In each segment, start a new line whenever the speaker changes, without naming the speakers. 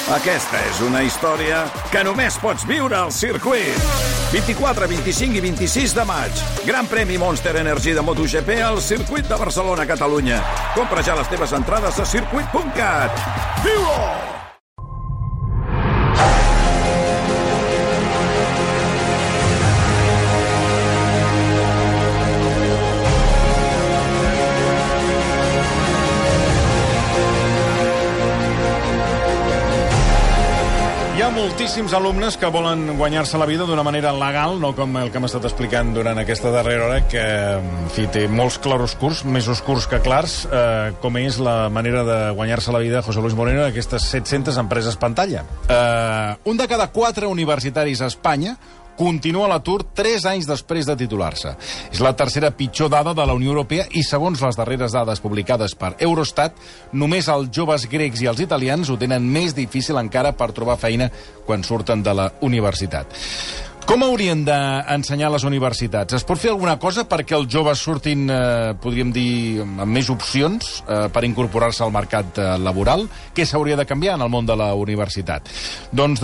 Aquesta és una història que només pots viure al circuit. 24, 25 i 26 de maig. Gran premi Monster Energy de MotoGP al circuit de Barcelona, Catalunya. Compra ja les teves entrades a circuit.cat. Viu-ho!
Hi ha moltíssims alumnes que volen guanyar-se la vida d'una manera legal, no com el que hem estat explicant durant aquesta darrera hora, que, en fi, té molts claroscurs, més oscurs que clars, com és la manera de guanyar-se la vida de José Luis Moreno d'aquestes 700 empreses pantalla. Un de cada 4 universitaris a Espanya continua a l'atur 3 anys després de titular-se. És la tercera pitjor dada de la Unió Europea i, segons les darreres dades publicades per Eurostat, només els joves grecs i els italians ho tenen més difícil encara per trobar feina quan surten de la universitat. Com haurien d'ensenyar les universitats? Es pot fer alguna cosa perquè els joves surtin, podríem dir, amb més opcions per incorporar-se al mercat laboral? Què s'hauria de canviar en el món de la universitat? Doncs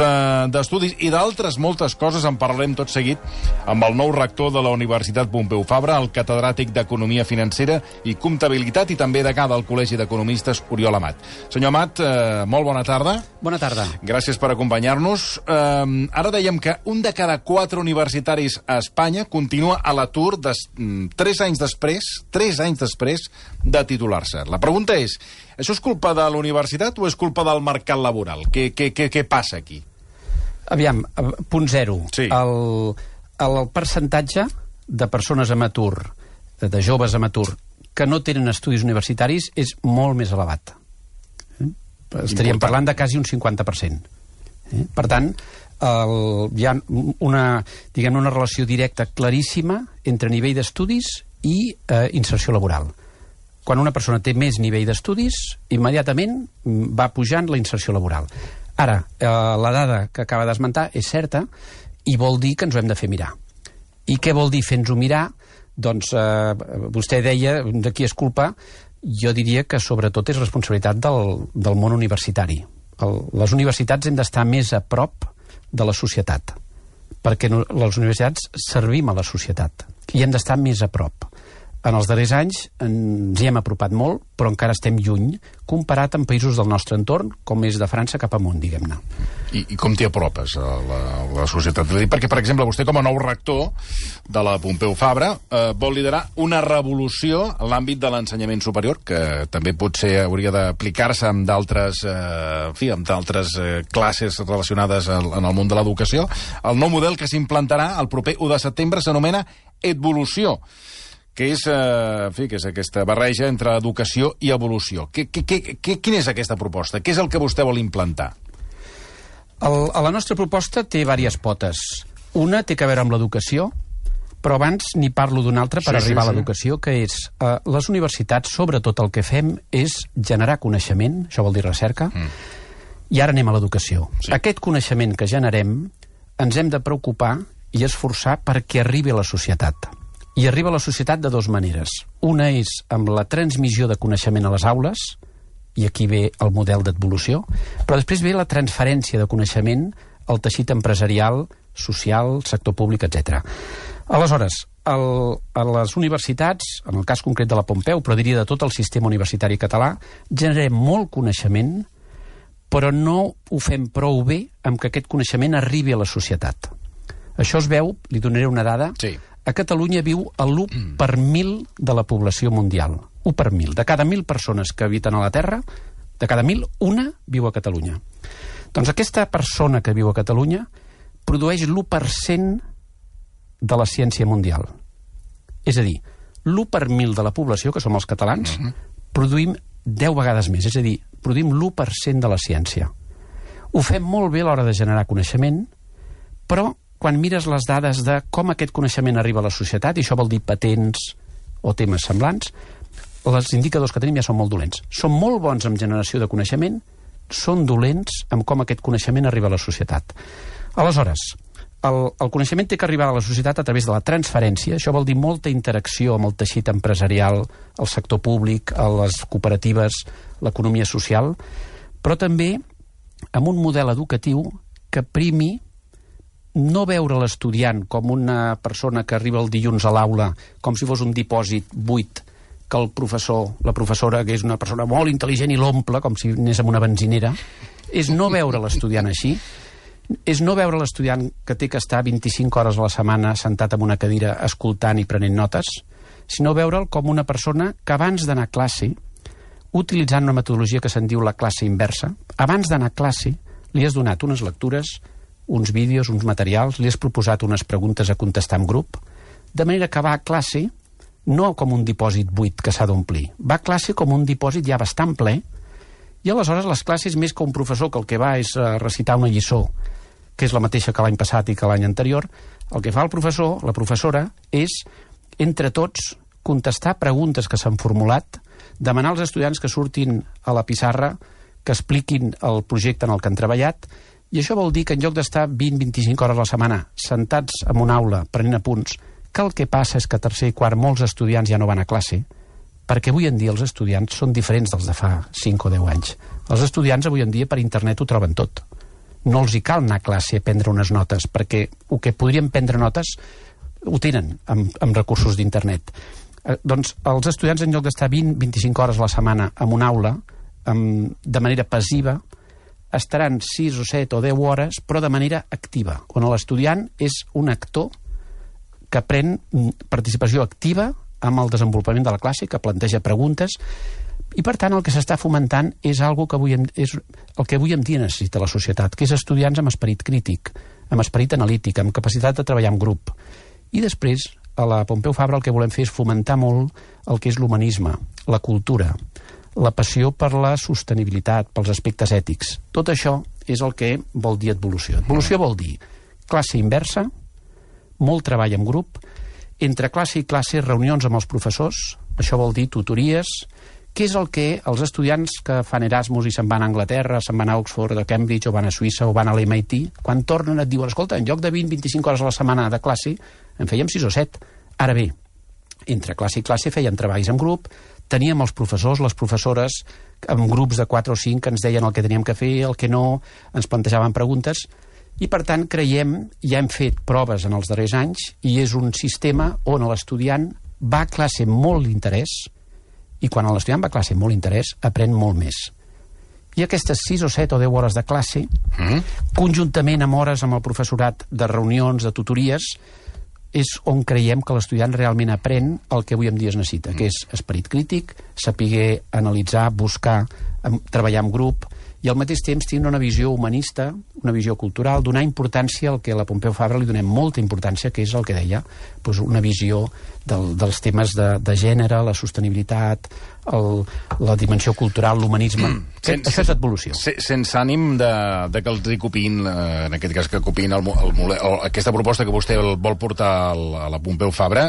d'estudis i d'altres moltes coses en parlarem tot seguit amb el nou rector de la Universitat Pompeu Fabra, el catedràtic d'Economia Financera i Comptabilitat i també degà del Col·legi d'Economistes, Oriol Amat. Senyor Amat, molt bona tarda.
Bona tarda.
Gràcies per acompanyar-nos. Ara dèiem que un de cada 4 universitaris a Espanya continua a l'atur 3 anys després de titular-se. La pregunta és, això és culpa de la universitat o és culpa del mercat laboral? Què passa aquí?
Aviam, punt zero.
Sí.
El percentatge de persones amb atur, de joves amb atur, que no tenen estudis universitaris és molt més elevat. Estaríem parlant de quasi un 50%. Per tant, hi ha una relació directa claríssima entre nivell d'estudis i inserció laboral. Quan una persona té més nivell d'estudis, immediatament va pujant la inserció laboral. Ara, la dada que acaba d'esmentar és certa i vol dir que ens ho hem de fer mirar. I què vol dir fer-nos-ho mirar? Doncs vostè deia de qui és culpa. Jo diria que sobretot és responsabilitat del món universitari. Les universitats hem d'estar més a prop de la societat, perquè les universitats servim a la societat i hem d'estar més a prop. En els darrers anys ens hi hem apropat molt, però encara estem lluny comparat amb països del nostre entorn, com és de França cap amunt, diguem-ne.
I com t'hi apropes a la societat? Perquè, per exemple, vostè com a nou rector de la Pompeu Fabra vol liderar una revolució en l'àmbit de l'ensenyament superior, que també potser hauria d'aplicar-se amb d'altres classes relacionades en el món de l'educació. El nou model que s'implantarà el proper 1 de setembre s'anomena Edvolució, que és aquesta barreja entre educació i evolució. Quina és aquesta proposta? Què és el que vostè vol implantar?
La nostra proposta té diverses potes. Una té a veure amb l'educació, però abans n'hi parlo d'una altra per arribar a l'educació, que és les universitats, sobretot el que fem és generar coneixement, això vol dir recerca, i ara anem a l'educació. Sí. Aquest coneixement que generem ens hem de preocupar i esforçar perquè arribi a la societat. I arriba a la societat de dues maneres. Una és amb la transmissió de coneixement a les aules, i aquí ve el model d'evolució, però després ve la transferència de coneixement al teixit empresarial, social, sector públic, etc. Aleshores, a les universitats, en el cas concret de la Pompeu, però diria de tot el sistema universitari català, generem molt coneixement, però no ho fem prou bé amb que aquest coneixement arribi a la societat. Això es veu, li donaré una dada,
sí.
A Catalunya viu l'1 per 1.000 de la població mundial. 1 per 1.000. De cada 1.000 persones que habiten a la Terra, de cada 1.000, una viu a Catalunya. Doncs aquesta persona que viu a Catalunya produeix l'1% de la ciència mundial. És a dir, l'1 per 1.000 de la població, que som els catalans, produïm 10 vegades més. És a dir, produïm l'1% de la ciència. Ho fem molt bé a l'hora de generar coneixement, però quan mires les dades de com aquest coneixement arriba a la societat, i això vol dir patents o temes semblants, els indicadors que tenim ja són molt dolents. Són molt bons en generació de coneixement, són dolents amb com aquest coneixement arriba a la societat. Aleshores, el coneixement té que arribar a la societat a través de la transferència, això vol dir molta interacció amb el teixit empresarial, el sector públic, les cooperatives, l'economia social, però també amb un model educatiu que primi no veure l'estudiant com una persona que arriba el dilluns a l'aula com si fos un dipòsit buit, que el professor, la professora, que és una persona molt intel·ligent i l'omple com si anés amb una benzinera, és no veure l'estudiant així, és no veure l'estudiant que té que estar 25 hores a la setmana sentat en una cadira escoltant i prenent notes, sinó veure'l com una persona que abans d'anar a classe, utilitzant una metodologia que se'n diu la classe inversa, abans d'anar a classe li has donat unes lectures, uns vídeos, uns materials, li has proposat unes preguntes a contestar en grup, de manera que va a classe no com un dipòsit buit que s'ha d'omplir, va a classe com un dipòsit ja bastant ple, i aleshores les classes, més que un professor que el que va és recitar una lliçó, que és la mateixa que l'any passat i que l'any anterior, el que fa el professor, la professora, és, entre tots, contestar preguntes que s'han formulat, demanar als estudiants que surtin a la pissarra, que expliquin el projecte en el que han treballat, i això vol dir que en lloc d'estar 20-25 hores a la setmana sentats en una aula prenent apunts, que el que passa és que a tercer i quart molts estudiants ja no van a classe, perquè avui en dia els estudiants són diferents dels de fa 5 o 10 anys. Els estudiants avui en dia per internet ho troben tot. No els hi cal anar a classe a prendre unes notes, perquè el que podrien prendre notes ho tenen amb recursos d'internet. Doncs els estudiants, en lloc d'estar 20-25 hores a la setmana en una aula, de manera passiva, estaran 6 o 7 o 10 hores, però de manera activa, on l'estudiant és un actor que pren participació activa amb el desenvolupament de la classe, que planteja preguntes, i per tant el que s'està fomentant és el que avui en dia necessita la societat, que és estudiants amb esperit crític, amb esperit analític, amb capacitat de treballar en grup. I després, a la Pompeu Fabra el que volem fer és fomentar molt el que és l'humanisme, la cultura, la passió per la sostenibilitat, pels aspectes ètics. Tot això és el que vol dir evolució. Evolució vol dir classe inversa, molt treball en grup, entre classe i classe reunions amb els professors, això vol dir tutories, que és el que els estudiants que fan Erasmus i se'n van a Anglaterra, se'n van a Oxford, a Cambridge, o van a Suïssa, o van a l'MIT, quan tornen et diuen, escolta, en lloc de 20-25 hores a la setmana de classe, en fèiem 6 o 7. Ara bé, entre classe i classe feien treballs en grup, teníem els professors, les professores, amb grups de 4 o 5 que ens deien el que teníem que fer, el que no, ens plantejaven preguntes, i per tant creiem, ja hem fet proves en els darrers anys, i és un sistema on l'estudiant va a classe amb molt interès, i quan l'estudiant va a classe amb molt interès, aprèn molt més. I aquestes 6 o 7 o 10 hores de classe, conjuntament amb hores amb el professorat de reunions, de tutories, és on creiem que l'estudiant realment aprèn el que avui en dia es necessita, que és esperit crític, saber analitzar, buscar, treballar en grup, i al mateix temps tenir una visió humanista, una visió cultural, donar importància al que a la Pompeu Fabra li donem molta importància, que és el que deia, doncs una visió dels temes de gènere, la sostenibilitat, la dimensió cultural, l'humanisme. Això és evolució.
Sense ànim de que els dic copiïn, en aquest cas que copiïn aquesta proposta que vostè vol portar a la Pompeu Fabra,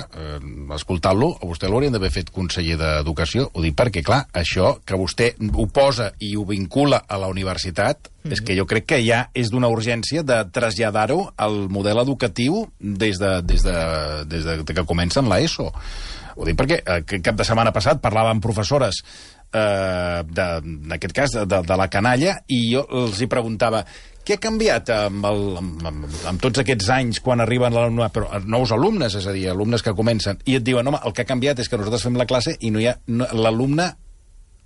escoltant-lo, a vostè l'haurien d'haver fet conseller d'Educació. Ho dic perquè, clar, això que vostè ho posa i ho vincula a la universitat, és que jo crec que ja és d'una urgència de traslladar-ho al model educatiu des de que comencen l'ESO. Ho dic perquè cap de setmana passat parlava amb professores, en aquest cas de la canalla, i jo els hi preguntava què ha canviat amb tots aquests anys quan arriben nous alumnes, és a dir, alumnes que comencen, i et diuen, home, el que ha canviat és que nosaltres fem la classe i l'alumne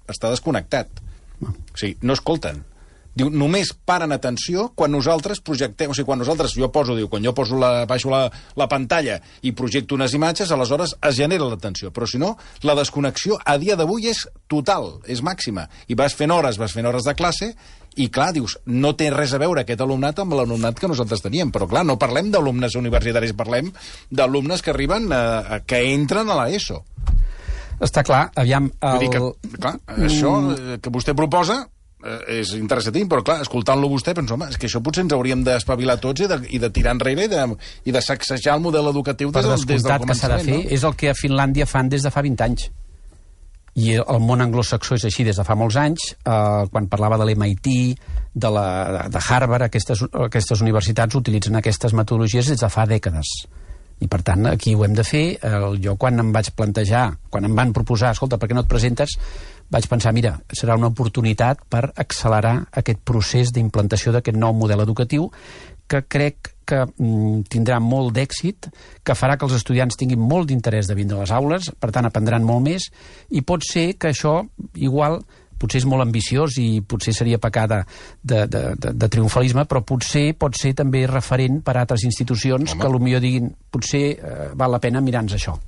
està desconnectat. O sigui, no escolten. Diu, només paren atenció quan nosaltres projectem, o sigui, quan jo poso baixo la pantalla i projecto unes imatges, aleshores es genera l'atenció. Però si no, la desconnexió a dia d'avui és total, és màxima. I vas fent hores de classe i, clar, dius, no té res a veure aquest alumnat amb l'alumnat que nosaltres teníem. Però, clar, no parlem d'alumnes universitaris, parlem d'alumnes que arriben, que entren a l'ESO.
Està clar, aviam...
Clar, això que vostè proposa és interessantíssim, però clar, escoltant-lo vostè penso, home, és que això potser ens hauríem d'espavilar tots i de tirar enrere i de sacsejar el model educatiu des del començament.
Que s'ha de fer, és el que a Finlàndia fan des de fa 20 anys. I el món anglosaxó és així des de fa molts anys. Quan parlava de l'MIT, de Harvard, aquestes universitats utilitzen aquestes metodologies des de fa dècades. I per tant, aquí ho hem de fer. Jo quan em vaig plantejar, quan em van proposar, escolta, per què no et presentes? vaig pensar, mira, serà una oportunitat per accelerar aquest procés d'implantació d'aquest nou model educatiu que crec que tindrà molt d'èxit, que farà que els estudiants tinguin molt d'interès de vindre a les aules, per tant aprendran molt més, i pot ser que això igual potser és molt ambiciós i potser seria pecar de triomfalisme, però potser pot ser també referent per a altres institucions que potser diguin, potser val la pena mirar-nos això.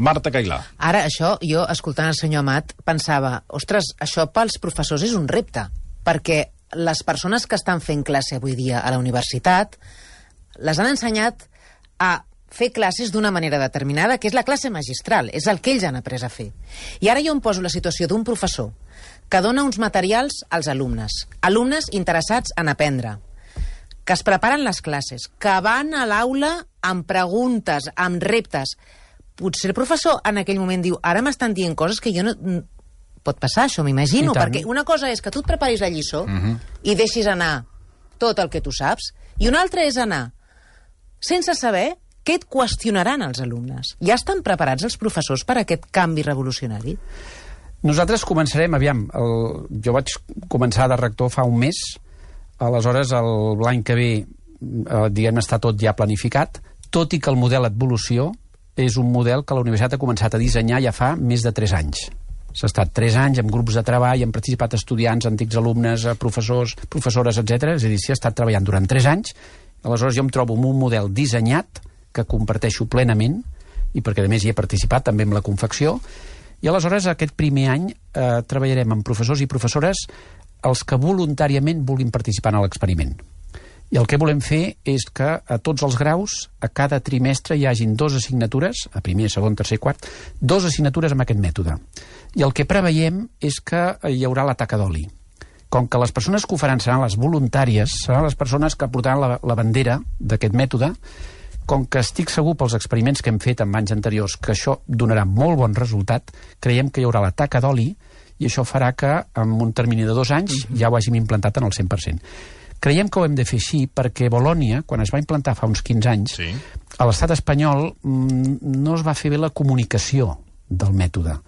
Marta Cailà.
Ara, això, jo, escoltant el senyor Amat, pensava, ostres, això pels professors és un repte, perquè les persones que estan fent classe avui dia a la universitat les han ensenyat a fer classes d'una manera determinada, que és la classe magistral, és el que ells han après a fer. I ara jo em poso la situació d'un professor que dona uns materials als alumnes interessats en aprendre, que es preparen les classes, que van a l'aula amb preguntes, amb reptes. Potser el professor en aquell moment diu, ara m'estan dient coses que jo no... Pot passar això, m'imagino, perquè una cosa és que tu et preparis la lliçó i deixis anar tot el que tu saps, i una altra és anar sense saber què et qüestionaran els alumnes. Ja estan preparats els professors per a aquest canvi revolucionari?
Nosaltres començarem, jo vaig començar de rector fa un mes, aleshores l'any que ve diguem està tot ja planificat, tot i que el model Evolució és un model que la universitat ha començat a dissenyar ja fa més de 3 anys. S'ha estat 3 anys amb grups de treball, han participat estudiants, antics alumnes, professors, professores, etc. És a dir, s'hi ha estat treballant durant 3 anys. Aleshores jo em trobo amb un model dissenyat que comparteixo plenament, i perquè a més hi he participat també amb la confecció, i aleshores aquest primer any treballarem amb professors i professores els que voluntàriament vulguin participar en l'experiment. I el que volem fer és que a tots els graus, a cada trimestre hi hagin 2 assignatures, a primer, segon, tercer i quart, 2 assignatures amb aquest mètode. I el que preveiem és que hi haurà la taca d'oli. Com que les persones que ho faran seran les voluntàries, seran les persones que portaran la bandera d'aquest mètode, com que estic segur pels experiments que hem fet en anys anteriors que això donarà molt bon resultat, creiem que hi haurà la taca d'oli i això farà que en un termini de 2 anys ja ho hàgim implantat en el 100%. Creiem que ho hem de fer així perquè Bolònia, quan es va implantar fa uns 15 anys, a l'estat espanyol no es va fer bé la comunicació del mètode.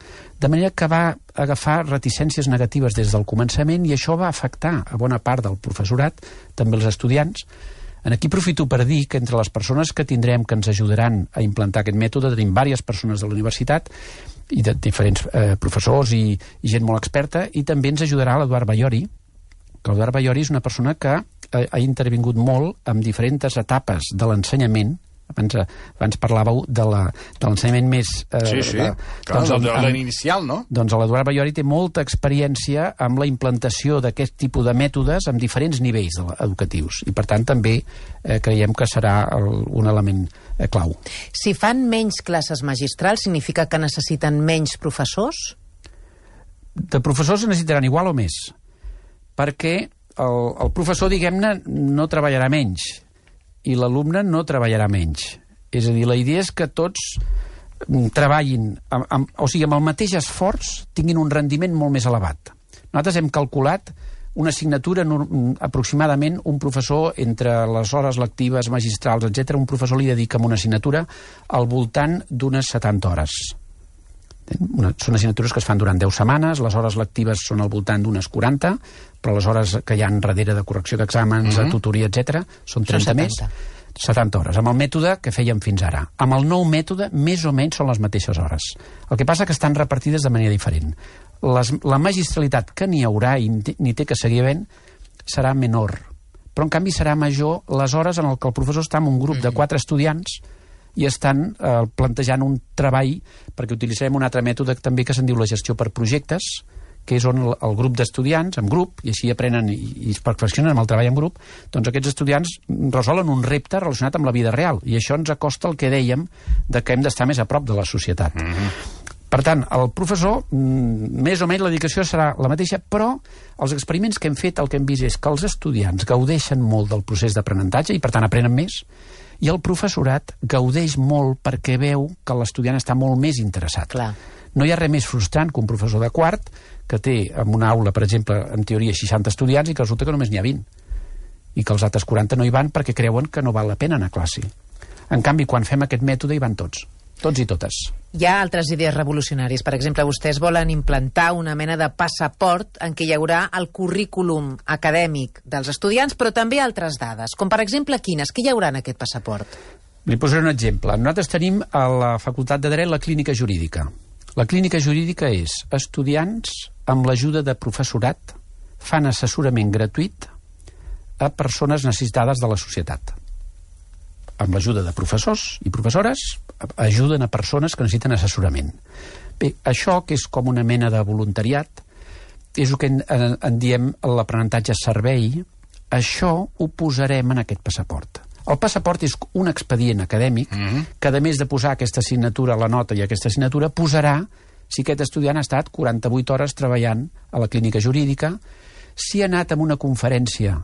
De manera que va agafar reticències negatives des del començament i això va afectar a bona part del professorat, també els estudiants. Aquí aprofito per dir que entre les persones que tindrem que ens ajudaran a implantar aquest mètode tenim diverses persones de la universitat i de diferents professors i gent molt experta, i també ens ajudarà l'Eduard Baiori, que l'Eduard Baiori és una persona que ha intervingut molt en diferents etapes de l'ensenyament. Abans parlàveu de l'ensenyament més...
l'inicial, no?
Doncs l'Eduard Baiori té molta experiència amb la implantació d'aquest tipus de mètodes en diferents nivells educatius i, per tant, també creiem que serà un element clau.
Si fan menys classes magistrals, significa que necessiten menys professors?
De professors necessitaran igual o més, perquè el professor, diguem-ne, no treballarà menys i l'alumne no treballarà menys. És a dir, la idea és que tots treballin, o sigui, amb el mateix esforç tinguin un rendiment molt més elevat. Nosaltres hem calculat una assignatura, aproximadament un professor, entre les hores lectives, magistrals, etc., un professor li dedica a una assignatura al voltant d'unes 70 hores. Són assignatures que es fan durant 10 setmanes, les hores lectives són al voltant d'unes 40, però les hores que hi ha darrere de correcció d'exàmens, de tutoria, etc., són 30 més, 70 hores, amb el mètode que fèiem fins ara. Amb el nou mètode, més o menys són les mateixes hores. El que passa que estan repartides de manera diferent. La magistralitat que n'hi haurà i n'hi té que seguir havent serà menor, però en canvi serà major les hores en què el professor està amb un grup de 4 estudiants i estan plantejant un treball, perquè utilitzarem un altre mètode també que se'n diu la gestió per projectes, que és on el grup d'estudiants, en grup, i així aprenen i es perfeccionen amb el treball en grup, doncs aquests estudiants resolen un repte relacionat amb la vida real, i això ens acosta el que dèiem de que hem d'estar més a prop de la societat. Per tant, el professor, més o menys la dedicació serà la mateixa, però els experiments que hem fet, el que hem vist és que els estudiants gaudeixen molt del procés d'aprenentatge i per tant aprenen més, i el professorat gaudeix molt perquè veu que l'estudiant està molt més interessat.
Clar.
No hi ha res més frustrant que un professor de quart que té en una aula, per exemple, en teoria 60 estudiants i que resulta que només n'hi ha 20 i que els altres 40 no hi van perquè creuen que no val la pena anar a classe. En canvi, quan fem aquest mètode hi van tots. tots i totes.
Hi ha altres idees revolucionàries. Per exemple, vostès volen implantar una mena de passaport en què hi haurà el currículum acadèmic dels estudiants, però també altres dades, com per exemple quines? Què hi haurà en aquest passaport?
Li posaré un exemple. Nosaltres tenim a la Facultat de Dret la clínica jurídica. La clínica jurídica és estudiants amb l'ajuda de professorat fan assessorament gratuït a persones necessitades de la societat. Amb l'ajuda de professors i professores ajuden a persones que necessiten assessorament. Bé, això, que és com una mena de voluntariat, és el que en diem l'aprenentatge servei, això ho posarem en aquest passaport. El passaport és un expedient acadèmic que, a més de posar aquesta assignatura a la nota i aquesta assignatura, posarà si aquest estudiant ha estat 48 hores treballant a la clínica jurídica, si ha anat a una conferència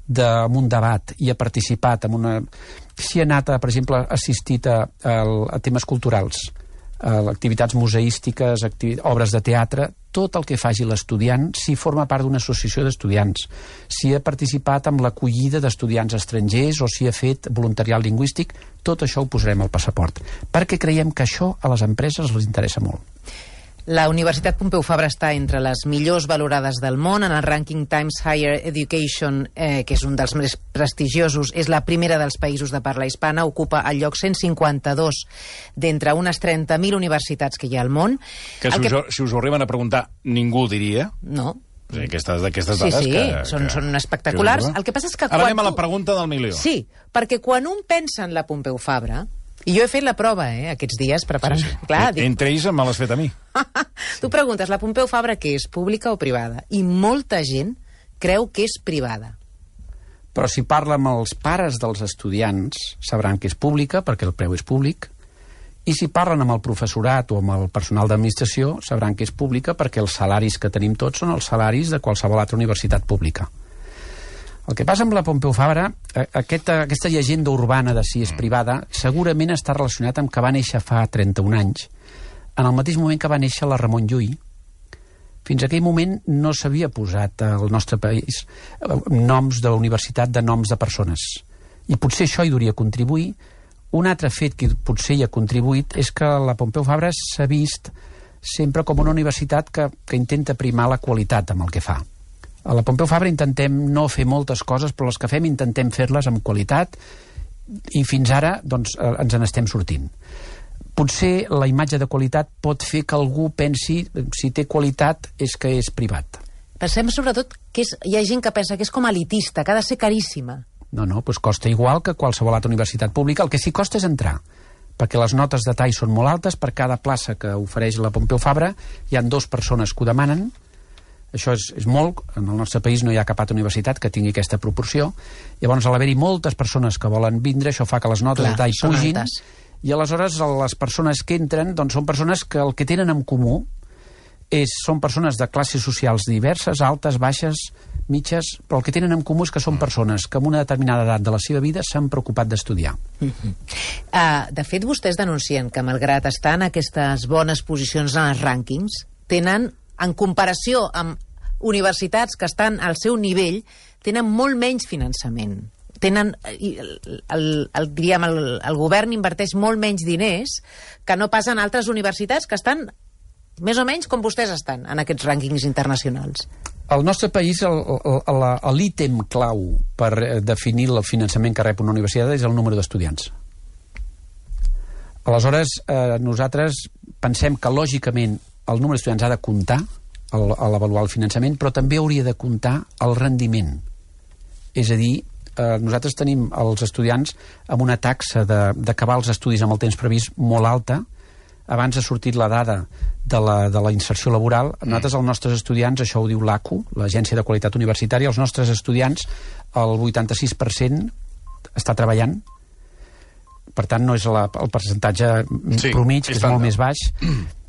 en un debat i ha participat en una... Si ha anat, per exemple, assistit a temes culturals, a activitats museístiques, obres de teatre, tot el que faci l'estudiant, si forma part d'una associació d'estudiants, si ha participat en l'acollida d'estudiants estrangers o si ha fet voluntariat lingüístic, tot això ho posarem al passaport, perquè creiem que això a les empreses les interessa molt.
La Universitat Pompeu Fabra està entre les millors valorades del món. En el rànquing Times Higher Education, que és un dels més prestigiosos, és la primera dels països de parla hispana, ocupa el lloc 152 d'entre unes 30.000 universitats que hi ha al món.
Que si us ho arriben a preguntar, ningú ho diria.
No.
O sigui, aquestes dades
sí, són espectaculars. El que passa és que
ara anem a la pregunta del milió.
Sí, perquè quan un pensa en la Pompeu Fabra, i jo he fet la prova, aquests dies, preparant...
Sí.
Clar,
entre ells me l'has fet a mi.
Tu preguntes, la Pompeu Fabra què és, pública o privada? I molta gent creu que és privada.
Però si parla amb els pares dels estudiants, sabran que és pública, perquè el preu és públic, i si parlen amb el professorat o amb el personal d'administració, sabran que és pública, perquè els salaris que tenim tots són els salaris de qualsevol altra universitat pública. El que passa amb la Pompeu Fabra, aquesta llegenda urbana de si és privada, segurament està relacionat amb que va néixer fa 31 anys, en el mateix moment que va néixer la Ramon Llull. Fins a aquell moment no s'havia posat al nostre país noms de la universitat de noms de persones. I potser això hi hauria contribuir. Un altre fet que potser hi ha contribuït és que la Pompeu Fabra s'ha vist sempre com una universitat que intenta primar la qualitat amb el que fa. A la Pompeu Fabra intentem no fer moltes coses, però les que fem intentem fer-les amb qualitat i fins ara doncs, ens n'estem sortint. Potser la imatge de qualitat pot fer que algú pensi si té qualitat és que és privat.
Pensem sobretot que hi ha gent que pensa que és com elitista, que ha de ser caríssima.
No, doncs costa igual que qualsevol altra universitat pública. El que sí costa és entrar, perquè les notes de tall són molt altes. Per cada plaça que ofereix la Pompeu Fabra hi ha 2 persones que ho demanen. Això és molt. En el nostre país no hi ha cap altra universitat que tingui aquesta proporció. Llavors, al haver-hi moltes persones que volen vindre, això fa que les notes de tall pugin. I aleshores les persones que entren doncs, són persones que el que tenen en comú són persones de classes socials diverses, altes, baixes, mitges, però el que tenen en comú és que són persones que en una determinada edat de la seva vida s'han preocupat d'estudiar.
De fet, vostès denuncien que, malgrat estar en aquestes bones posicions en els rànquings, tenen, en comparació amb universitats que estan al seu nivell, tenen molt menys finançament. El govern inverteix molt menys diners que no pas en altres universitats que estan més o menys com vostès estan en aquests rànquings internacionals.
Al nostre país l'ítem clau per definir el finançament que rep una universitat és el número d'estudiants. Aleshores, nosaltres pensem que lògicament el número d'estudiants ha de comptar a l'avaluar el finançament, però també hauria de comptar el rendiment. És a dir, nosaltres tenim els estudiants amb una taxa d'acabar els estudis amb el temps previst molt alta. Abans ha sortit la dada de la inserció laboral. Nosaltres, els nostres estudiants, això ho diu l'ACU, l'Agència de Qualitat Universitària, els nostres estudiants, el 86% està treballant. Per tant, no és el percentatge promig, que és molt més baix.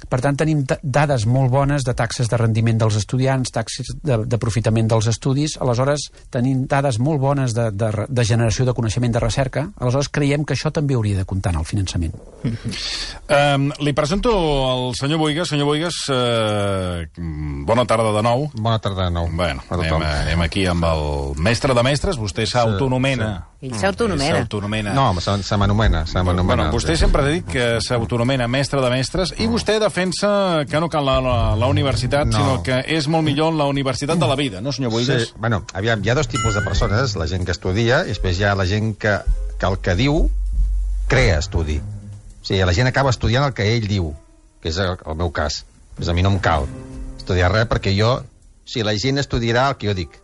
Per tant, tenim dades molt bones de taxes de rendiment dels estudiants, taxes d'aprofitament dels estudis. Aleshores, tenim dades molt bones de generació de coneixement de recerca. Aleshores, creiem que això també hauria de comptar en el finançament.
Li presento el senyor Boigas. Senyor Boigas, bona tarda de nou.
Bona tarda de nou.
Bueno, anem aquí amb el mestre de mestres. Vostè s'autonomena
Ell s'autonomena.
No, se m'anomena.
Bueno, vostè sempre ha dit que s'autonomena mestre de mestres i vostè defensa que no cal la universitat, sinó que és molt millor la universitat de la vida, no, senyor Bohigas?
Sí, bueno, aviam, hi ha dos tipus de persones, la gent que estudia i després hi ha la gent que el que diu crea estudi. O sigui, la gent acaba estudiant el que ell diu, que és el meu cas. Pues a mi no em cal estudiar res perquè la gent estudiarà el que jo dic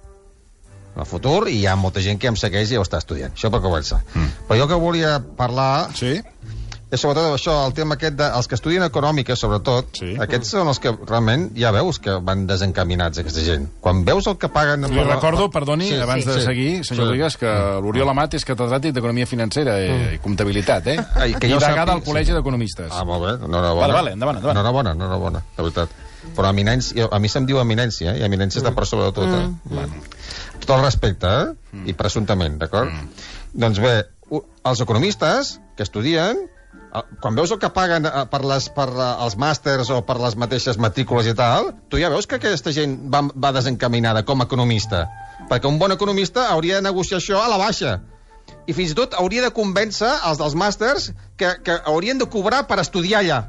en el futur, i hi ha molta gent que em segueix i ho està estudiant. Això per començar. Però jo que volia parlar és sobretot això, el tema aquest dels que estudien econòmica, sobretot, aquests són els que realment ja veus que van desencaminats, aquesta gent. Quan veus el que paguen...
Li recordo, perdoni, abans de seguir, senyor Bohigas, que l'Oriol Amat és catedràtic d'Economia Financera i Comptabilitat, i degà al Col·legi d'Economistes.
Ah, molt bé, enhorabona.
Vale, endavant.
Enhorabona, de veritat. Però a mi se'm diu eminència, i eminència està per sobre de tot. Tot el respecte, i presumptament, d'acord? Doncs bé, els economistes que estudien, quan veus el que paguen per els màsters o per les mateixes matrícules i tal, tu ja veus que aquesta gent va desencaminada com a economista. Perquè un bon economista hauria de negociar això a la baixa. I fins i tot hauria de convèncer els dels màsters que haurien de cobrar per estudiar allà.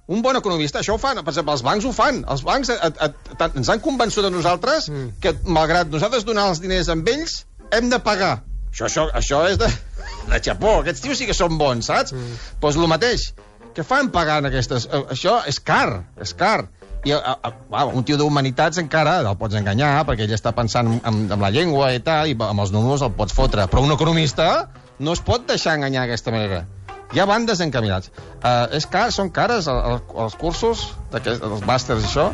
Un bon economista, això ho fan. Per exemple, els bancs ho fan. Els bancs ens han convençut a nosaltres que, malgrat nosaltres donar els diners amb ells, hem de pagar. Això és de xapó. Aquests tios sí que són bons, saps? Doncs el mateix. Què fan pagant aquestes? Això és car, I un tio d'humanitats encara el pots enganyar, perquè ell està pensant en la llengua i tal, i amb els números el pots fotre. Però un economista no es pot deixar enganyar d'aquesta manera. Ja van desencaminats. És car, són cares els cursos, els màsters i això?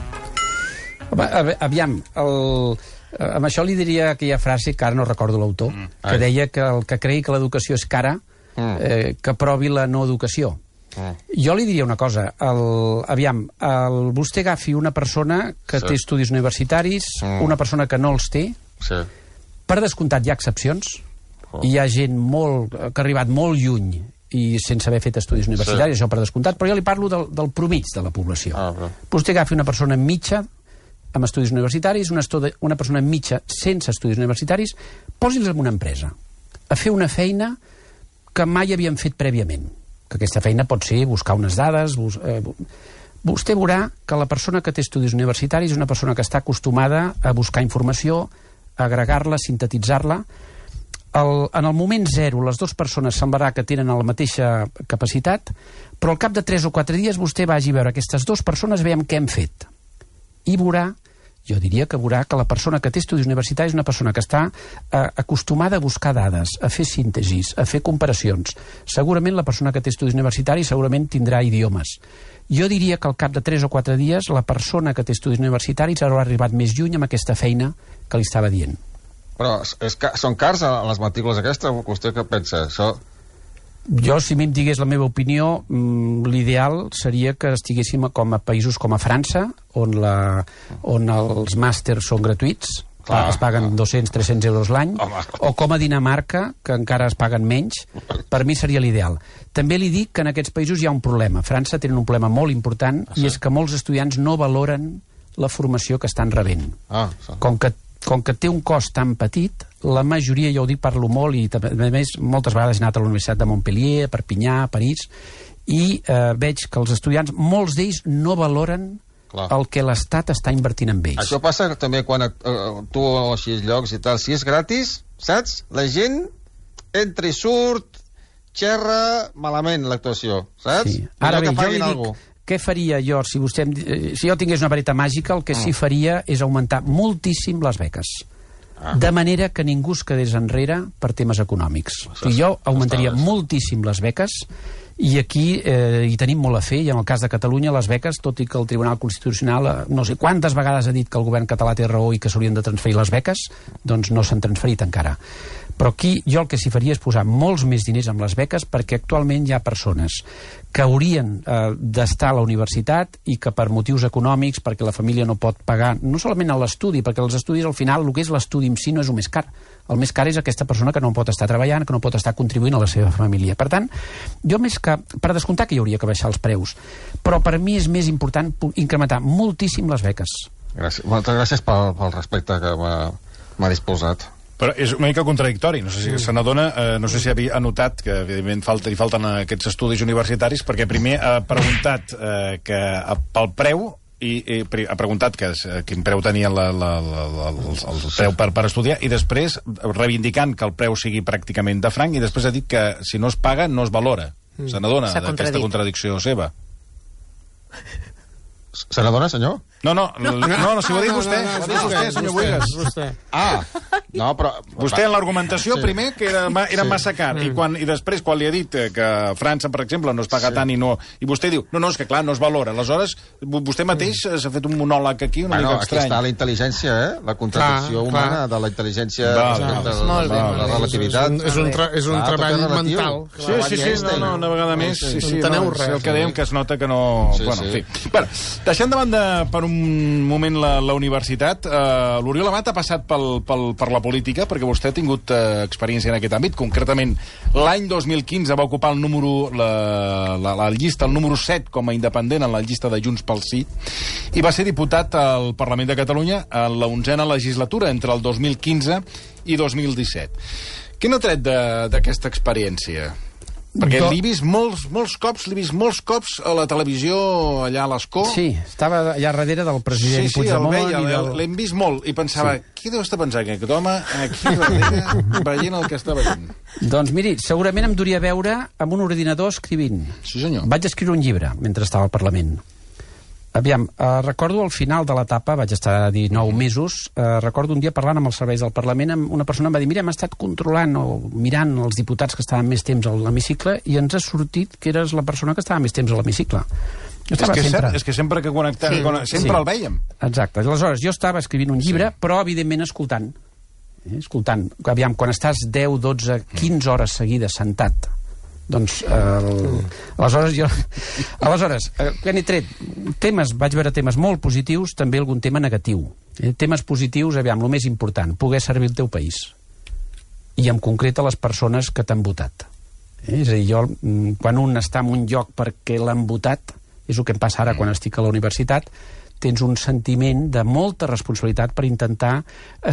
Aviam, amb això li diria aquella frase, que ara no recordo l'autor, que deia que el que cregui que l'educació és cara, que provi la no educació. Jo li diria una cosa, vostè agafi una persona que té estudis universitaris, una persona que no els té, per descomptat hi ha excepcions, hi ha gent que ha arribat molt lluny i sense haver fet estudis universitaris, això per descomptat, però jo li parlo del promig de la població. Vostè agafi una persona mitja amb estudis universitaris, una persona mitja sense estudis universitaris, posi'ls en una empresa a fer una feina que mai havien fet prèviament, que aquesta feina pot ser buscar unes dades. Vostè veurà que la persona que té estudis universitaris és una persona que està acostumada a buscar informació, a agregar-la, sintetitzar-la. En el moment zero, les dues persones semblarà que tenen la mateixa capacitat, però al cap de 3 o 4 dies vostè vagi a veure aquestes dues persones, veiem què hem fet. I veurà, jo diria que veurà que la persona que té estudis universitaris és una persona que està acostumada a buscar dades, a fer síntesis, a fer comparacions. Segurament la persona que té estudis universitaris segurament tindrà idiomes. Jo diria que al cap de 3 o 4 dies la persona que té estudis universitaris haurà arribat més lluny amb aquesta feina que li estava dient.
Però són cars les matrícules aquestes? Vostè què pensa?
Jo, si mi em digués la meva opinió, l'ideal seria que estiguéssim com a països com a França, on els màsters són gratuïts, es paguen 200-300 euros l'any, o com a Dinamarca, que encara es paguen menys. Per mi seria l'ideal. També li dic que en aquests països hi ha un problema. A França tenen un problema molt important, i és que molts estudiants no valoren la formació que estan rebent. Com que té un cost tan petit, la majoria, jo ho dic, parlo molt, i a més moltes vegades he anat a la Universitat de Montpellier, a Perpinyà, a París, i veig que els estudiants, molts d'ells no valoren el que l'Estat està invertint en ells.
Això passa també quan tu així llocs i tal, si és gratis, saps? La gent entra i surt, xerra malament l'actuació, saps?
Sí. Ara bé, jo li dic, què faria jo, si jo tingués una vareta màgica, el que sí faria és augmentar moltíssim les beques. De manera que ningú es quedés enrere per temes econòmics. Jo augmentaria moltíssim les beques, i aquí hi tenim molt a fer, i en el cas de Catalunya les beques, tot i que el Tribunal Constitucional no sé quantes vegades ha dit que el govern català té raó i que s'haurien de transferir les beques, doncs no s'han transferit encara. Però aquí jo el que s'hi faria és posar molts més diners amb les beques, perquè actualment hi ha persones que haurien d'estar a la universitat i que per motius econòmics, perquè la família no pot pagar, no solament a l'estudi, perquè els estudis al final, el que és l'estudi en si no és el més car. El més car és aquesta persona que no pot estar treballant, que no pot estar contribuint a la seva família. Per tant, jo més que... Per descomptar que hi hauria que baixar els preus, però per mi és més important incrementar moltíssim les beques.
Gràcies. Moltes gràcies pel respecte que m'ha disposat.
Però és una mica contradictori. No sé si se n'adona, no sé si ha notat que, evidentment, hi falten aquests estudis universitaris, perquè primer ha preguntat que pel preu i ha preguntat quin preu tenia el preu per estudiar, i després reivindicant que el preu sigui pràcticament de franc, i després ha dit que si no es paga no es valora. Se n'adona d'aquesta contradicció seva.
Se n'adona, senyor?
No, si ho ha dit vostè. Ho ha dit vostè, senyor Buigas.
No, però...
Vostè en l'argumentació, primer, que era massa car, i després, quan li ha dit que a França, per exemple, no es paga tant i vostè diu, no, és que clar, no es valora. Aleshores, vostè mateix s'ha fet un monòleg aquí una mica estrany.
Aquí està la intel·ligència, la contradicció humana de la intel·ligència respecte a la relativitat.
És un treball mental.
Sí, una vegada més.
Enteneu res.
El que dèiem, que es nota que no... Bueno, en fi. Deixant de banda per un moment la universitat, l'Oriol Amat ha passat per la política, perquè vostè ha tingut experiència en aquest àmbit. Concretament, l'any 2015 va ocupar la llista, el número 7 com a independent en la llista de Junts pel Sí, i va ser diputat al Parlament de Catalunya en la 11a legislatura, entre el 2015 i 2017. Què n'ha tret d'aquesta experiència? Perquè l'he vist molts cops a la televisió, allà a l'Escó.
Sí, estava allà darrere del president Puigdemont.
L'hem vist molt, i pensava, qui deu estar pensant aquest home aquí darrere veient el que està veient?
Doncs miri, segurament em duria veure amb un ordinador escrivint.
Sí, senyor.
Vaig escriure un llibre mentre estava al Parlament. Aviam, recordo al final de l'etapa, vaig estar 19 mesos, recordo un dia parlant amb els serveis del Parlament, una persona em va dir, mira, hem estat controlant o mirant els diputats que estaven més temps a l'hemicicle i ens ha sortit que eres la persona que estava més temps a l'hemicicle.
És que sempre que connectem, sempre el veiem.
Exacte. Aleshores, jo estava escrivint un llibre, però evidentment escoltant. Aviam, quan estàs 10, 12, 15 hores seguides sentat, doncs, aleshores, què n'he tret? Vaig veure temes molt positius, també algun tema negatiu. Temes positius, aviam, el més important, poder servir el teu país. I en concret a les persones que t'han votat. És a dir, quan un està en un lloc perquè l'han votat, és el que em passa ara quan estic a la universitat, tens un sentiment de molta responsabilitat per intentar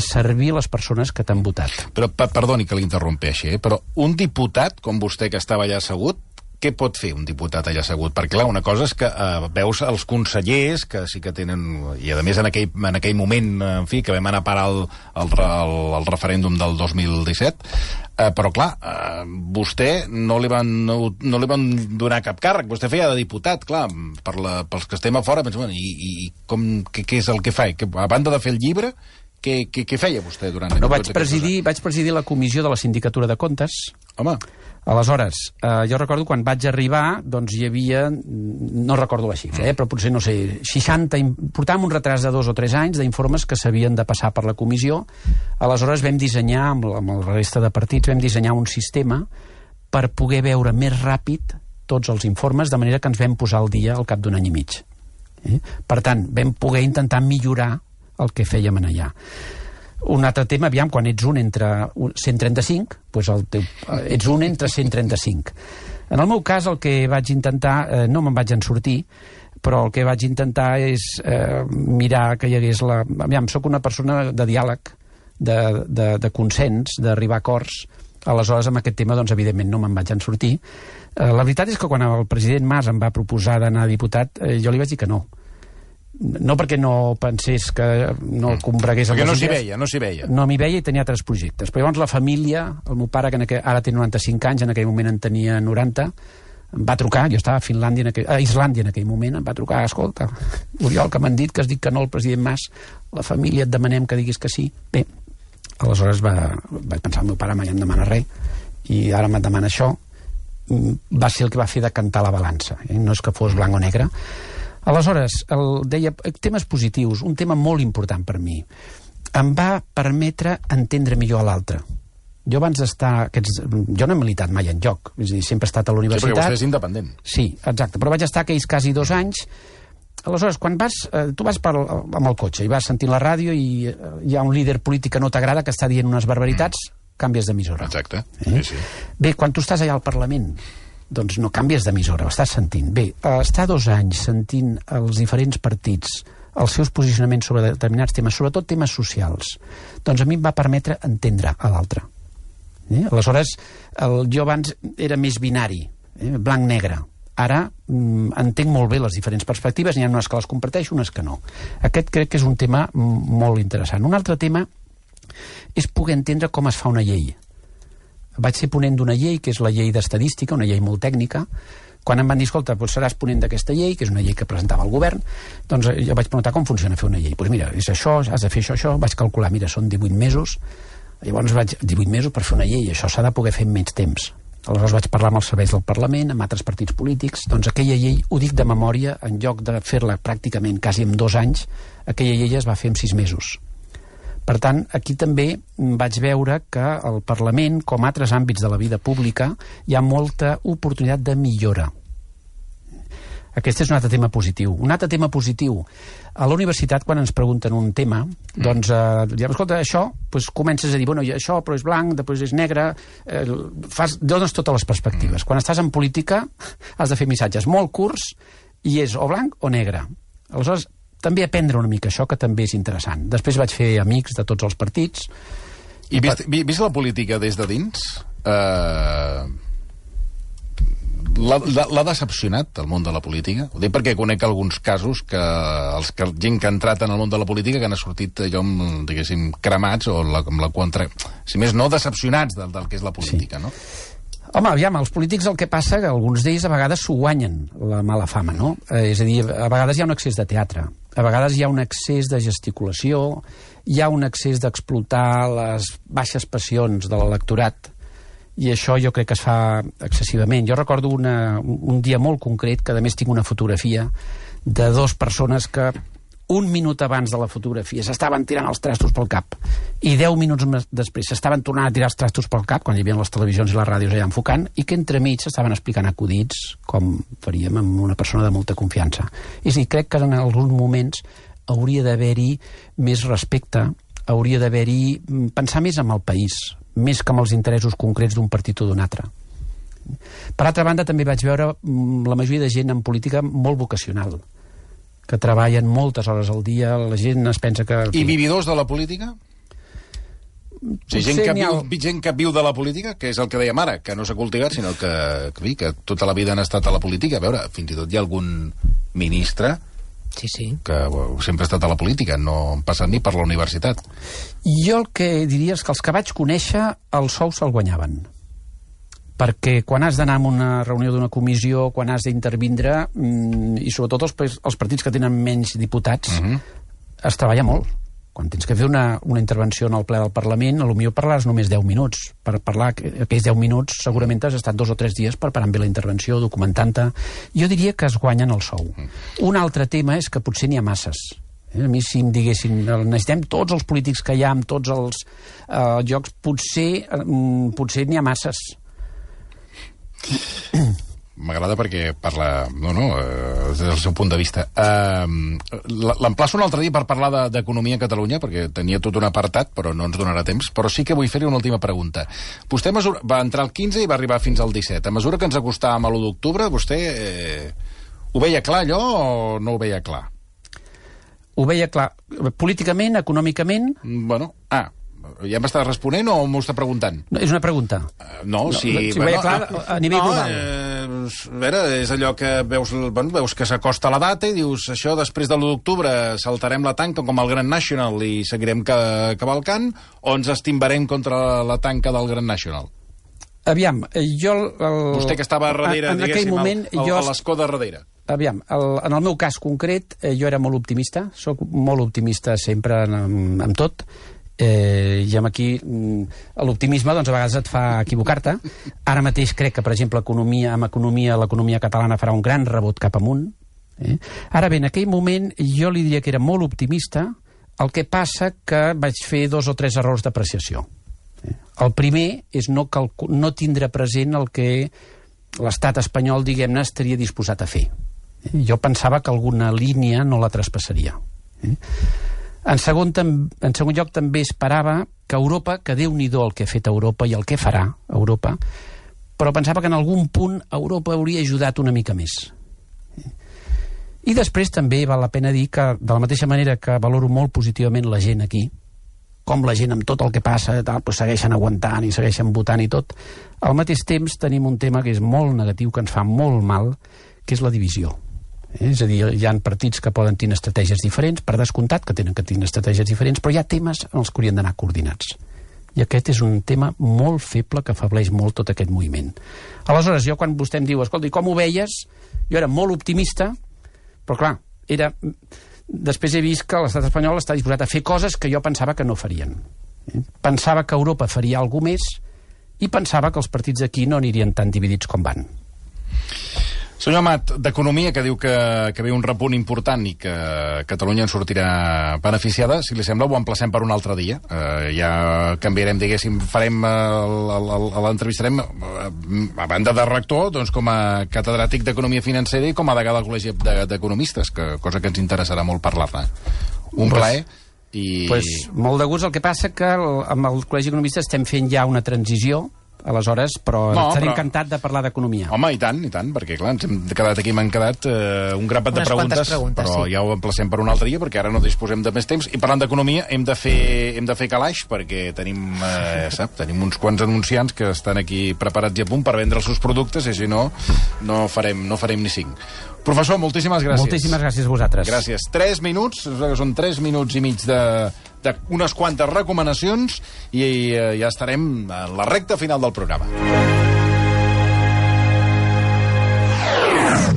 servir les persones que t'han votat.
Però, perdoni que l'interrompeixi, però un diputat, com vostè, que estava allà assegut, què pot fer un diputat allà assegut? Perquè, clar, una cosa és que veus els consellers, que sí que tenen... I, a més, en aquell moment, en fi, que vam anar a parar el referèndum del 2017, però, clar, vostè no li van donar cap càrrec. Vostè feia de diputat, clar, pels que estem a fora, pensem, i què és el que fa? A banda de fer el llibre, què feia vostè durant...
No, vaig presidir la comissió de la Sindicatura de Comptes.
Home...
Aleshores, jo recordo quan vaig arribar, doncs hi havia, no recordo la xifra, però potser, no sé, 60, portàvem un retras de 2 o 3 anys d'informes que s'havien de passar per la comissió. Aleshores vam dissenyar, amb la resta de partits, vam dissenyar un sistema per poder veure més ràpid tots els informes, de manera que ens vam posar al dia al cap d'un any i mig. Per tant, vam poder intentar millorar el que fèiem allà. Un altre tema, aviam, quan ets un entre 135, doncs ets un entre 135. En el meu cas, el que vaig intentar, no me'n vaig en sortir, però el que vaig intentar és mirar que hi hagués la... Aviam, soc una persona de diàleg, de consens, d'arribar a acords. Aleshores, amb aquest tema, doncs, evidentment, no me'n vaig en sortir. La veritat és que quan el president Mas em va proposar d'anar a diputat, jo li vaig dir que no. No perquè no pensés que no combregués amb les idees.
No s'hi veia.
No m'hi veia i tenia altres projectes. Però llavors la família, el meu pare, que ara té 95 anys, en aquell moment en tenia 90, em va trucar, jo estava a Islàndia en aquell moment, em va trucar, escolta, Oriol, que m'han dit que has dit que no al president Mas, la família et demanem que diguis que sí. Bé, aleshores vaig pensar, el meu pare mai em demana res, i ara me'n demana això. Va ser el que va fer decantar la balança, no és que fos blanc o negre. Aleshores, deia, temes positius, un tema molt important per mi. Em va permetre entendre millor a l'altre. Jo abans d'estar... Jo no he militat mai en lloc, és a dir, sempre he estat a la universitat.
Sí, perquè vostè és independent.
Sí, exacte, però vaig estar aquells quasi 2 anys. Aleshores, quan tu vas amb el cotxe i vas sentint la ràdio i hi ha un líder polític que no t'agrada, que està dient unes barbaritats, canvies d'emissora.
Exacte, sí.
Bé, quan tu estàs allà al Parlament, doncs no canvies d'emissora, ho estàs sentint. Bé, estar 2 anys sentint els diferents partits, els seus posicionaments sobre determinats temes, sobretot temes socials, doncs a mi em va permetre entendre a l'altre. Aleshores, jo abans era més binari, blanc-negre. Ara entenc molt bé les diferents perspectives, n'hi ha unes que les comparteixo, unes que no. Aquest crec que és un tema molt interessant. Un altre tema és poder entendre com es fa una llei. Vaig ser ponent d'una llei, que és la llei d'estadística, una llei molt tècnica. Quan em van dir, escolta, doncs seràs ponent d'aquesta llei, que és una llei que presentava el govern, doncs jo vaig preguntar com funciona fer una llei. Doncs mira, és això, has de fer això, vaig calcular, mira, són 18 mesos, llavors 18 mesos per fer una llei, això s'ha de poder fer en menys temps. Aleshores vaig parlar amb els serveis del Parlament, amb altres partits polítics, doncs aquella llei, ho dic de memòria, en lloc de fer-la pràcticament quasi en 2 anys, aquella llei es va fer en 6 mesos. Per tant, aquí també vaig veure que al Parlament, com altres àmbits de la vida pública, hi ha molta oportunitat de millora. Aquest és un altre tema positiu. Un altre tema positiu. A la universitat, quan ens pregunten un tema, doncs, diem, escolta, això, doncs comences a dir, bueno, això però és blanc, després és negre, dones totes les perspectives. Quan estàs en política, has de fer missatges molt curts i és o blanc o negre. Aleshores, també aprendre una mica això, que també és interessant. Després vaig fer amics de tots els partits.
I vist la política des de dins, l'ha decepcionat el món de la política? Ho dic perquè conec alguns casos que gent que ha entrat en el món de la política que han sortit allò, diguéssim, cremats o amb la contra... Si més no, decepcionats del que és la política, no?
Home, aviam, els polítics el que passa que alguns d'ells a vegades s'ho guanyen, la mala fama, no? És a dir, a vegades hi ha un excés de teatre, a vegades hi ha un excés de gesticulació, hi ha un excés d'explotar les baixes passions de l'electorat, i això jo crec que es fa excessivament. Jo recordo un dia molt concret, que a més tinc una fotografia de 2 persones que 1 minut abans de la fotografia s'estaven tirant els trastos pel cap i 10 minuts després s'estaven tornant a tirar els trastos pel cap, quan hi havia les televisions i les ràdios allà enfocant, i que entremig s'estaven explicant acudits com faríem amb una persona de molta confiança. És a dir, crec que en alguns moments hauria d'haver-hi més respecte, hauria d'haver-hi pensar més en el país, més que amb els interessos concrets d'un partit o d'un altre. Per altra banda, també vaig veure la majoria de gent en política molt vocacional, que treballen moltes hores al dia, la gent es pensa que...
I vividors de la política? O sigui, gent que viu de la política, que és el que dèiem ara, que no s'ha cultivat, sinó que tota la vida han estat a la política. A veure, fins i tot hi ha algun ministre que sempre ha estat a la política, no han passat ni per la universitat.
Jo el que diria és que els que vaig conèixer, el sou se'l guanyaven. Perquè quan has d'anar a una reunió d'una comissió, quan has d'intervindre, i sobretot els partits que tenen menys diputats, es treballa molt. Quan tens que fer una intervenció en el ple del Parlament, potser parlaràs només 10 minuts. Per parlar aquells 10 minuts segurament has estat 2 o 3 dies preparant bé la intervenció, documentant-te. Jo diria que es guanyen el sou. Un altre tema és que potser n'hi ha masses. A mi, si em diguessin, necessitem tots els polítics que hi ha en tots els llocs, potser n'hi ha masses.
M'agrada perquè parla des del seu punt de vista. L'emplaço un altre dia per parlar d'economia a Catalunya, perquè tenia tot un apartat, però no ens donarà temps, però sí que vull fer-li una última pregunta. Vostè va entrar al 15 i va arribar fins al 17. A mesura que ens acostàvem a l'1 d'octubre, vostè ho veia clar allò o no ho veia clar?
Ho veia clar. Políticament, econòmicament...
Ja m'està responent o m'ho està preguntant?
No, és una pregunta.
Si
ho veia clar a nivell global.
A veure, és allò que veus que s'acosta la data i dius, això després de l'1 d'octubre saltarem la tanca com el Grand National i seguirem cavalcant, o ens estimbarem contra la tanca del Grand National?
Aviam, jo...
Vostè que estava darrere, diguéssim, a l'escó de darrere.
Aviam, en el meu cas concret, jo era molt optimista, soc molt optimista sempre amb tot, i aquí l'optimisme doncs a vegades et fa equivocar-te. Ara mateix crec que, per exemple, l'economia catalana farà un gran rebot cap amunt. Ara bé, en aquell moment jo li diria que era molt optimista, el que passa que vaig fer 2 o 3 errors d'apreciació. El primer és no tindre present el que l'estat espanyol, diguem-ne, estaria disposat a fer. Jo pensava que alguna línia no la traspassaria. En segon lloc, també esperava que Europa, que Déu-n'hi-do el que ha fet Europa i el que farà Europa, però pensava que en algun punt Europa hauria ajudat una mica més. I després també val la pena dir que, de la mateixa manera que valoro molt positivament la gent aquí, com la gent amb tot el que passa tal, doncs segueixen aguantant i segueixen votant i tot, al mateix temps tenim un tema que és molt negatiu, que ens fa molt mal, que és la divisió. És a dir, hi ha partits que poden tenir estratègies diferents, per descomptat que tenen que tenir estratègies diferents, però hi ha temes en els que haurien d'anar coordinats. I aquest és un tema molt feble que afableix molt tot aquest moviment. Aleshores, jo quan vostè em diu, escolta, com ho veies? Jo era molt optimista, però clar, després he vist que l'estat espanyol està disposat a fer coses que jo pensava que no farien. Pensava que Europa faria alguna més i pensava que els partits aquí no anirien tan dividits com van.
Senyor Amat, d'Economia, que diu que ve un repunt important i que Catalunya en sortirà beneficiada, si li sembla, ho emplacem per un altre dia. Ja canviarem, diguéssim, l'entrevistarem a banda de rector, doncs com a catedràtic d'Economia Financera i com a degà del Col·legi d'Economistes, cosa que ens interessarà molt parlar-ne. Un plaer.
Molt de gust. El que passa que amb el Col·legi d'Economistes estem fent ja una transició, aleshores, però estaré encantat de parlar d'economia.
Home, i tant, perquè clar, ens hem quedat aquí, m'han quedat un grapat de preguntes, però ja ho emplacem per un altre dia, perquè ara no disposem de més temps, i parlant d'economia hem de fer calaix, perquè tenim uns quants anunciants que estan aquí preparats i a punt per vendre els seus productes, i si no, no farem ni 5. Professor, moltíssimes gràcies.
Moltíssimes gràcies a vosaltres.
Gràcies. 3 minuts, són 3 minuts i mig d'unes quantes recomanacions i ja estarem a la recta final del programa.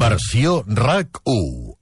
Versió RAC 1.